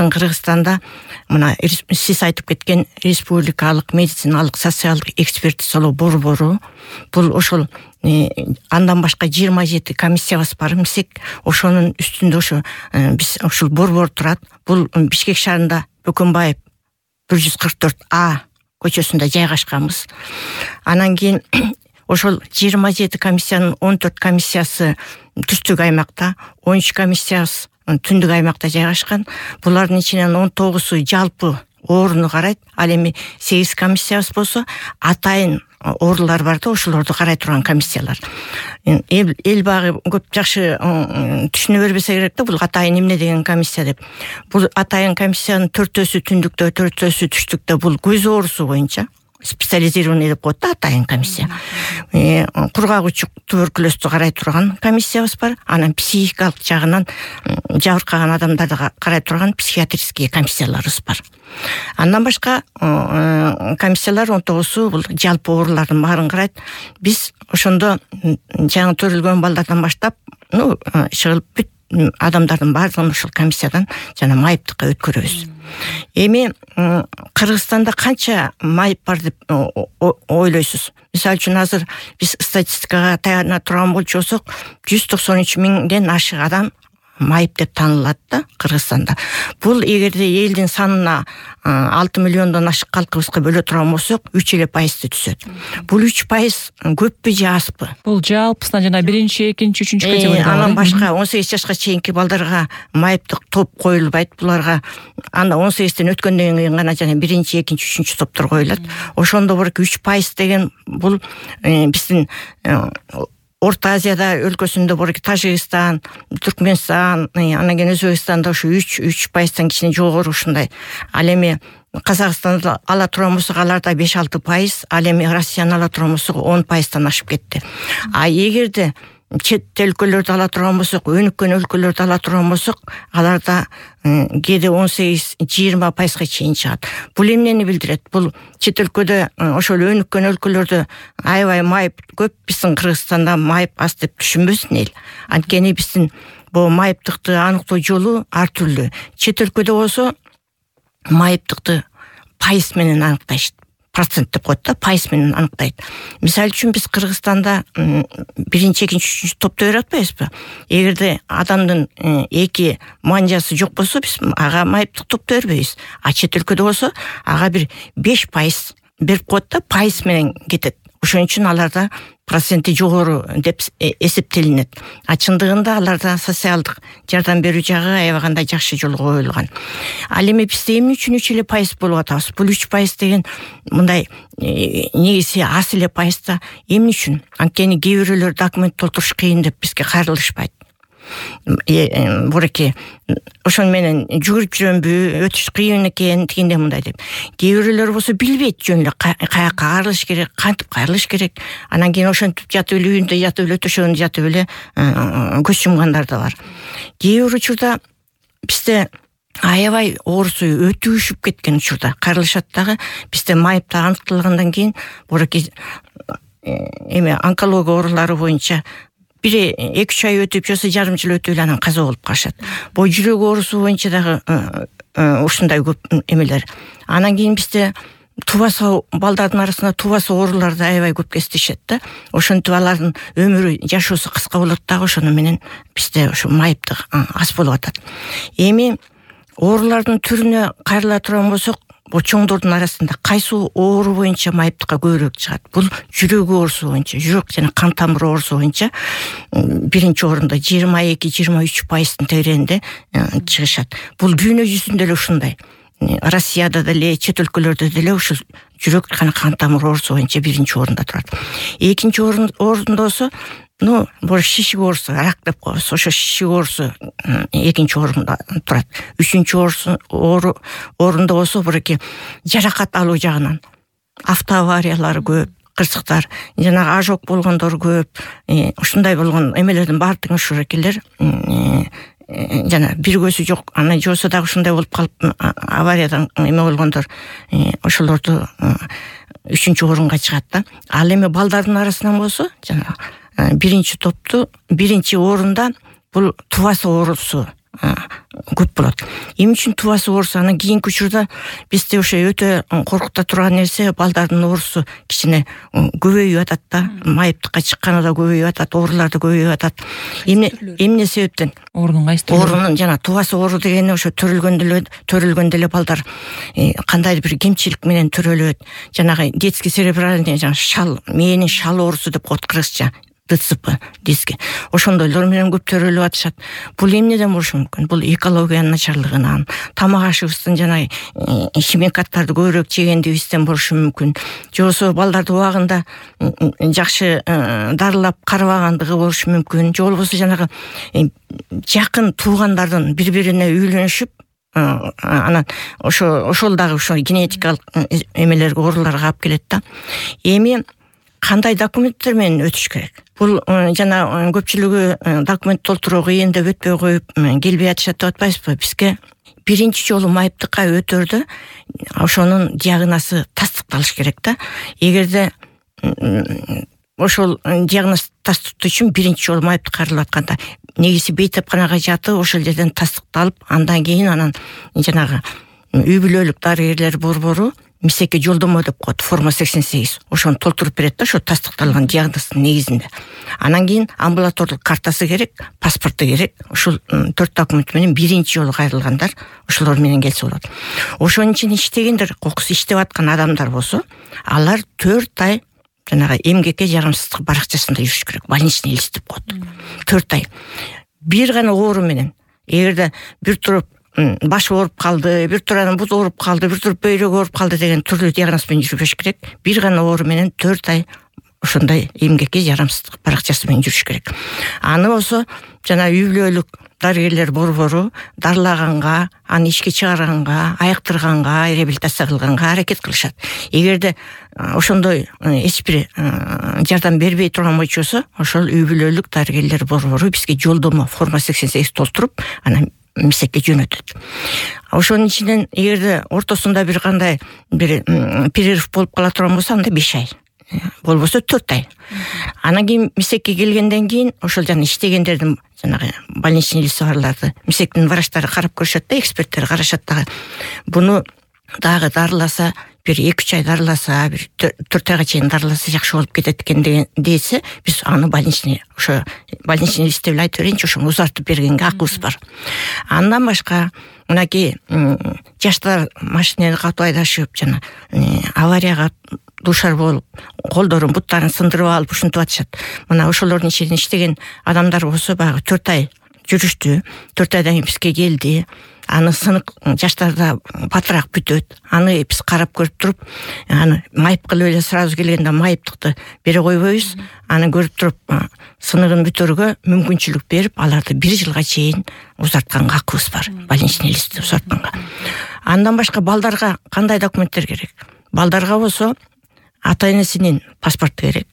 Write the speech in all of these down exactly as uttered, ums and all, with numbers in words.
биздин Кыргызстанда мына сиз айтып кеткен республикалык медициналык социалдык экспертизалоо борбору бул ошол андан башка жыйырма жети комиссиябыз бар эмесек, ошонун үстүндө ошо биз ушул борбор турат. Бул Бишкек шаарында Бөкөнбаев бир жүз кырк төрт А көчөсүндө жайгашканбыз. Анан кийин ошол жыйырма жети комиссиянын он төрт комиссиясы түштүк аймакта, он үч комиссиябыз түндүк аймакта жайгашкан. Булардын ичинен он тогузу жалпы ооруну карайт. Ал эми сегиз комиссиябыз болсо атайын оорулар бар да, ошолорду карай турган комиссиялар. Эл багы көп жакшы түшүнө бербесе керек да, бул атайын эмне деген комиссия деп. Бул атайын комиссиянын төртөөсү түндүктө, төртөөсү түштүктө, бул көз оорусу боюнча специализированный деп коет да атайын комиссия. Кургак учук туберкулезду карай турган комиссиябыз бар. Анан психикалык жагынан жабыркаган адамдарды карай турган психиатрический комиссияларыбыз бар. Андан башка комиссиялар он тогузу бул жалпы оорулардын баарын карайт. Биз ошондо жаңы төрүлгөн балдардан баштап, ну, чыгылып бүт адамдардын баардыгын ошол комиссиядан жана майыптыкка өткөрөбүз. Эми Кыргызстанда канча майып бар деп ойлойсуз? Мисалы үчүн азыр биз статистикага таяна турган болчусок, жүз токсон үч миңден ашык адам майып деп таанылат да Кыргызстанда. Бул эгерде элдин санына алты миллиондон ашык калкыбызга бөлө турган болсок, үч эле пайызды түзөт. Бул үч пайыз көппү же азбы? Бул жалпысынан жана биринчи, экинчи, үчүнчү категория. Анан башка он сегиз жашка чейинки балдарга майыптык топ коюлбайт. Буларга анда он сегизден өткөндөн кийин гана жана биринчи, экинчи, үчүнчү топтор коюлат. Ошондо бир үч пайыз деген бул биздин Орто Азияда өлкөсүндө бар Тажикстан, Түркмөнстан, анан кийин Өзбекстанда ошо үч пайыздан кичине жогору ушундай. Ал эми Казакстанда ала турган болсок, аларда беш алты пайыз, ал эми Россияны ала турган болсок он пайыздан ашып кетти. А эгерде чет өлкөлөрдү ала турган болсок, өнүккөн өлкөлөрдү ала турган болсок, аларда кээде он сегиз жыйырма пайызга чейин чыгат. Бул эмнени билдирет? Бул чет өлкөдө, ошол өнүккөн өлкөлөрдө аябай майып көп, биздин Кыргызстанда майып аз деп түшүнбөсүн эл. Анткени биздин бул майыптыкты аныктоо жолу ар түрлүү. Чет өлкөдө болсо майыптыкты пайыз менен аныктайт. Процент деп коет да, пайыз менен аныктайт. Мисалы үчүн биз Кыргызстанда биринчи, экинчи, үчүнчү топто берип атпайбызбы? Эгерде адамдын эки манжасы жок болсо, биз ага майыптык топто бербейбиз. А чет өлкөдө болсо, ага бир беш пайыз берип коет да, пайыз менен кетет. Ошон үчүн аларда проценти жогору деп эсептелинет. А чындыгында аларда социалдык жардам берүү жагы аябагандай жакшы жолго коюлган. Ал эми бизде эмне үчүн үч эле пайыз болуп атабыз? Бул үч пайыз деген мындай негизи аз эле пайыз да эмне үчүн? Анткени кээ бирөөлөр документ толтуруш кыйын деп бизге кайрылышпайт. Буреке ошон менен жүгүрүп жүрөмбү, өтүш кыйын экен, тигиндей мындай деп. Кээ бирөөлөр болсо билбейт жөн эле каяка кайрылыш керек, кантип кайрылыш керек. Анан кийин ошентип жатып эле үйүндө жатып эле, төшөгүндө жатып эле көз жумгандар да бар. Кээ бир учурда бизде аябай оорусу өтүшүп кеткен учурда кайрылышат дагы. Бизде майыпта аныкталгандан кийин буреке эме онкология оорулары боюнча бир эки үч ай өтүп, жосо жарым жыл өтүп эле анан каза болуп калышат. Бул жүрөк оорусу боюнча дагы ушундай көп эмелер. Анан кийин бизде тубасы балдардын арасында тубасы оорулар да аябай көп кездешет да. Ошентип алардын өмүрү, жашоосу кыска болот дагы, ошону менен бизде ошо майыптык аз болуп атат. Эми оорулардын түрүнө кайрыла турган болсок, бул чоңдордун арасында кайсы оору боюнча майыптыкка көбүрөөк чыгат? Бул жүрөк оорусу боюнча, жүрөк жана кан тамыр оорусу боюнча биринчи орунда жыйырма эки жыйырма үч пайыздын тегерегинде чыгышат. Бул дүйнө жүзүндө эле ушундай. Россияда деле, чет өлкөлөрдө деле ушул жүрөк жана кан тамыр оорусу боюнча биринчи орунда турат. Экинчи орунда болсо, ну, бул шишик оорусу, рак деп коебуз. Ошо шишик оорусу экинчи орунда турат. Үчүнчү орунда орунда болсо буреке жаракат алуу жагынан автоавариялар көп, кырсыктар, жана ожог болгондор көп. Ушундай болгон эмелердин баардыгы ушул экелер жана бир көзү жок, анан жосо дагы ушундай болуп калып авариядан эме болгондор ошолорду үчүнчү орунга чыгат да. Ал эми балдардын арасынан болсо, жана биринчи топту биринчи орунда бул тубасы оорусу көп болот. Эмне үчүн тубасы оорусу? Анан кийинки учурда бизде ошо өтө коркута турган нерсе, балдардын оорусу кичине көбөйүп атат да, майыптыкка чыкканы да көбөйүп атат, оорулар да көбөйүп атат. Эмне эмне себептен? Оорунун кайсы түрү? Оорунун жана тубасы оору дегени ошо төрөлгөндө эле төрөлгөндө эле балдар кандайдыр бир кемчилик менен төрөлөт. Жанагы детский церебральный жана шал, мээнин шал оорусу деп коет кыргызча. ДЦП диске. Ошондойлор менен көп төрөлүп атышат. Бул эмнеден болушу мүмкүн? Бул экологиянын начарлыгынан, тамак ашыбыздын жана химикаттарды көбүрөөк жегендигибизден болушу мүмкүн. Же болбосо балдарды убагында жакшы дарылап карабагандыгы болушу мүмкүн. Же болбосо жанагы жакын туугандардын бири-бирине үйлөнүшүп, анан ошо ошол дагы ошо генетикалык эмелерге, ооруларга алып келет да. Эми кандай документтер менен өтүш керек? Бул жана көпчүлүгү документ толтуруу кыйын деп өтпөй коюп келбей атышат деп атпайсызбы? Бизге биринчи жолу майыптыкка өтөрдө ошонун диагнозу тастыкталыш керек да. Эгерде ошол диагноз тастыктоо үчүн биринчи жолу майыптыкка каралып атканда негизи бейтапканага жатып, ошол жерден тастыкталып, андан кийин анан жанагы үй бүлөлүк дарыгерлер борбору мисекке жолдомо деп коет, форма сексен сегиз. Ошону толтуруп берет да, ошо тастыкталган диагноздун негизинде. Анан кийин амбулаторлук картасы керек, паспорту керек. Ушул төрт документ менен биринчи жолу кайрылгандар ошолор менен келсе болот. Ошонун ичинде иштегендер, кокус иштеп аткан адамдар болсо, алар төрт ай жанагы эмгекке жарамсыздык баракчасында жүрүш керек. Больничный лист деп коет. төрт ай. Бир гана оору менен, эгерде бир туруп баш ооруп калды, бир туруп бут ооруп калды, бир туруп бөйрөк ооруп калды деген түрлүү диагноз менен жүрбөш керек. Бир гана оору менен төрт ай ошондой эмгекке жарамсыздык баракчасы менен жүрүш керек. Аны болсо жана үй бүлөлүк дарыгерлер борбору дарылаганга, аны ишке чыгарганга, айыктырганга, реабилитация кылганга аракет кылышат. Эгерде ошондой эч бир жардам бербей турган болчусу, ошол үй бүлөлүк дарыгерлер борбору бизге жолдомо форма сексен сегиз толтуруп, анан мисекке жөнөтөт. Ошонун ичинен эгерде ортосунда бир кандай бир перерыв болуп кала турган болсо, анда беш ай, болбосо төрт ай. Анан кийин мисекке келгенден кийин ошол жана иштегендердин жанагы больничный листи барларды мисектин врачтары карап көрүшөт да, эксперттер карашат дагы. Буну дагы дарыласа, бир эки үч ай дарыласа, бир төрт айга чейин дарыласа жакшы болуп кетет экен десе, биз аны больничный ошо больничный листте эле айтып берейинчи, ошону узартып бергенге акыбыз бар. Андан башка мынакей жаштар машинени катуу айдашып, жана аварияга душар болуп, колдорун, буттарын сындырып алып ушинтип атышат. Мына ошолордун ичинде иштеген адамдар болсо, баягы төрт ай жүрүштү, төрт айдан кийин бизге келди. Аны сынык жаштарда батыраак бүтөт. Аны биз карап көрүп туруп, аны майып кылып эле сразу келгенде майыптыкты бере койбойбуз. Аны көрүп туруп, сыныгын бүтөргө мүмкүнчүлүк берип, аларды бир жылга чейин узартканга акыбыз бар. Больничный листти узартканга. Андан башка балдарга кандай документтер керек? Балдарга болсо, ата-энесинин паспорту керек.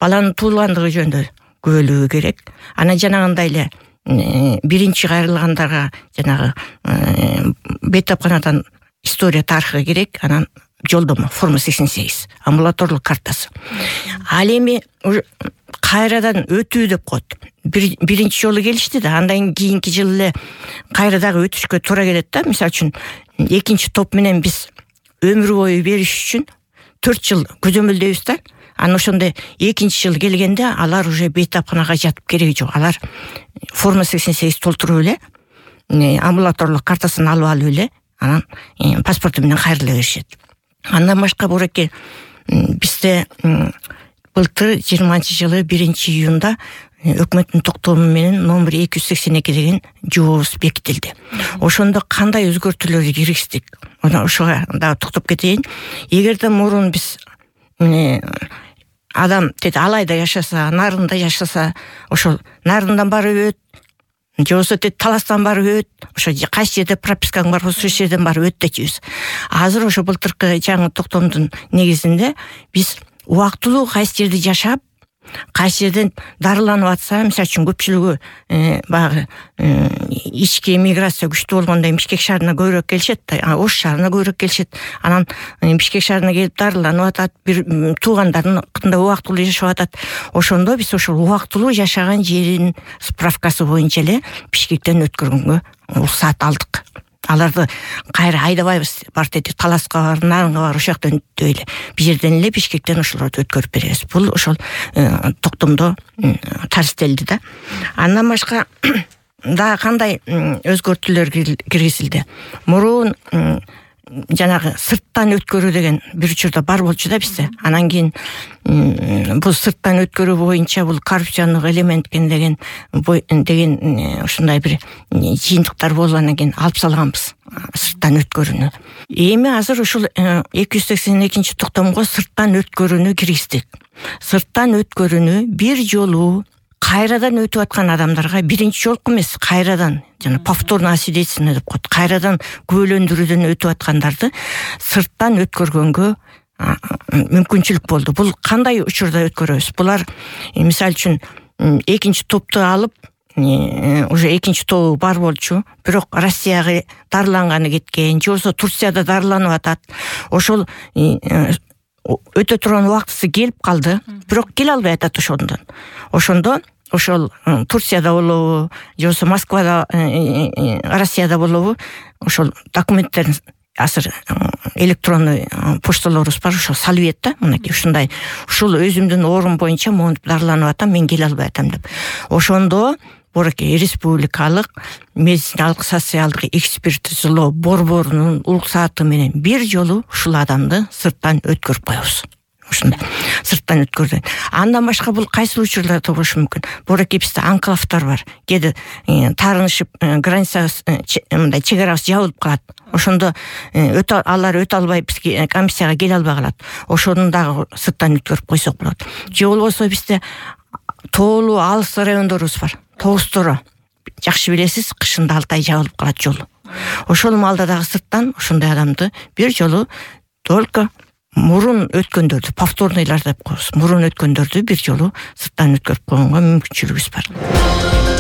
Баланын туулгандыгы жөнүндө күбөлүгү керек. Анан жанагындай эле биринчи кайрылгандарга жанагы бейтапканадан история тарыхы керек. Анан жолдомо форма сексен сегиз, амбулаторлук картасы. Ал эми кайрадан өтүү деп коет. Биринчи жолу келишти да, андан кийинки жылы эле кайра дагы өтүшкө туура келет да. Мисалы үчүн экинчи топ менен биз өмүр бою бериш үчүн төрт жыл көзөмөлдөйбүз да. Анан ошондой экинчи жыл келгенде алар уже бейтапканага жатып кереги жок. Алар форма сексен сегиз толтуруп эле, амбулаторлук картасын алып алып эле, анан паспорту менен кайрыла беришет. Андан башка бураке бизде былтыр жыйырманчы жылы биринчи июнда өкмөттүн токтому менен номер эки жүз сексен эки деген жобобуз бекитилди. Ошондо кандай өзгөртүүлөрдү киргиздик? Ошого дагы токтоп кетейин. Эгерде мурун биз адам деди Алайда жашаса, Нарында жашаса, ошол Нарындан барып өт, же болбосо деди Таластан барып өт, ошо кайсы жерде пропискаң бар болсо ошол жерден барып өт дечүбүз. Азыр ошо былтыркы жаңы токтомдун негизинде биз убактылуу кайсы жерде жашап, кайсы жерден дарыланып атса, мисалы үчүн көпчүлүгү баягы ички миграция күчтүү болгондо Бишкек шаарына көбүрөөк келишет да, Ош шаарына көбүрөөк келишет. Анан Бишкек шаарына келип дарыланып атат, бир туугандарында убактылуу жашап атат. Ошондо биз ошол убактылуу жашаган жерин справкасы боюнча эле Бишкектен өткөргөнгө уруксаат алдык. Аларды кайра айдабайбыз, партияда Таласка бар, Нарынга бар, ошол жактан өтпөй эле. Бул жерден эле Бишкектен ошолорду өткөрүп беребиз. Бул ошол токтомдо тарифтелди да. Андан башка да кандай өзгөртүүлөр киргизилди. Мурун жанагы сырттан өткөрүү деген бир учурда бар болчу да бизде. Анан кийин бул сырттан өткөрүү боюнча бул коррупциондук элемент экен деген деген ушундай бир жыйынтыктар болуп анан кийин алып салганбыз сырттан өткөрүүнү. Эми азыр ушул эки жүз сексен экинчи токтомго сырттан өткөрүүнү киргиздик. Сырттан өткөрүүнү бир жолу кайрадан өтүп аткан адамдарга биринчи жолку эмес, кайрадан жана повторное освидетельствование деп коет. Кайрадан күбөлөндүрүүдөн өтүп аткандарды сырттан өткөргөнгө мүмкүнчүлүк болду. Бул кандай учурда өткөрөбүз? Булар мисалы үчүн экинчи топту алып, уже экинчи тобу бар болчу, бирок Россияга дарыланганы кеткен, же болбосо Турцияда дарыланып атат. Ошол өтө турган убактысы келип калды, бирок келе албай атат ошондон. Ошондо ошол Турцияда болобу, же болбосо Москвада, Россияда болобу, ошол документтерин азыр электронный почталарыбыз бар, ошо салып ийет да, мынакей ушундай, ушул өзүмдүн орун боюнча монтип дарыланып атам, мен келе албай атам деп. Ошондо Боракей республикалык медициналык социалдык экспертизалоо борборунун уруксааты менен бир жолу ушул адамды сырттан өткөрүп коебуз. Ушундай сырттан өткөрдү. Андан башка бул кайсы учурларда болушу мүмкүн? Боракей бизде анклавтар бар. Кээде таарынышып граница мындай чегарабыз жабылып калат. Ошондо өтө алар өтө албай бизге комиссияга келе албай калат. Ошону дагы сырттан өткөрүп койсок болот. Же болбосо бизде тоолуу алыс райондорубуз бар. Тоостора жакшы билесиз, кышында алты ай жабылып калат жолу. Ошол маалда дагы сырттан ошондой адамды бир жолу только мурун өткөндөрдү, повторныйлар деп коебуз. Мурун өткөндөрдү бир жолу сырттан өткөрүп койгонго мүмкүнчүлүгүбүз бар.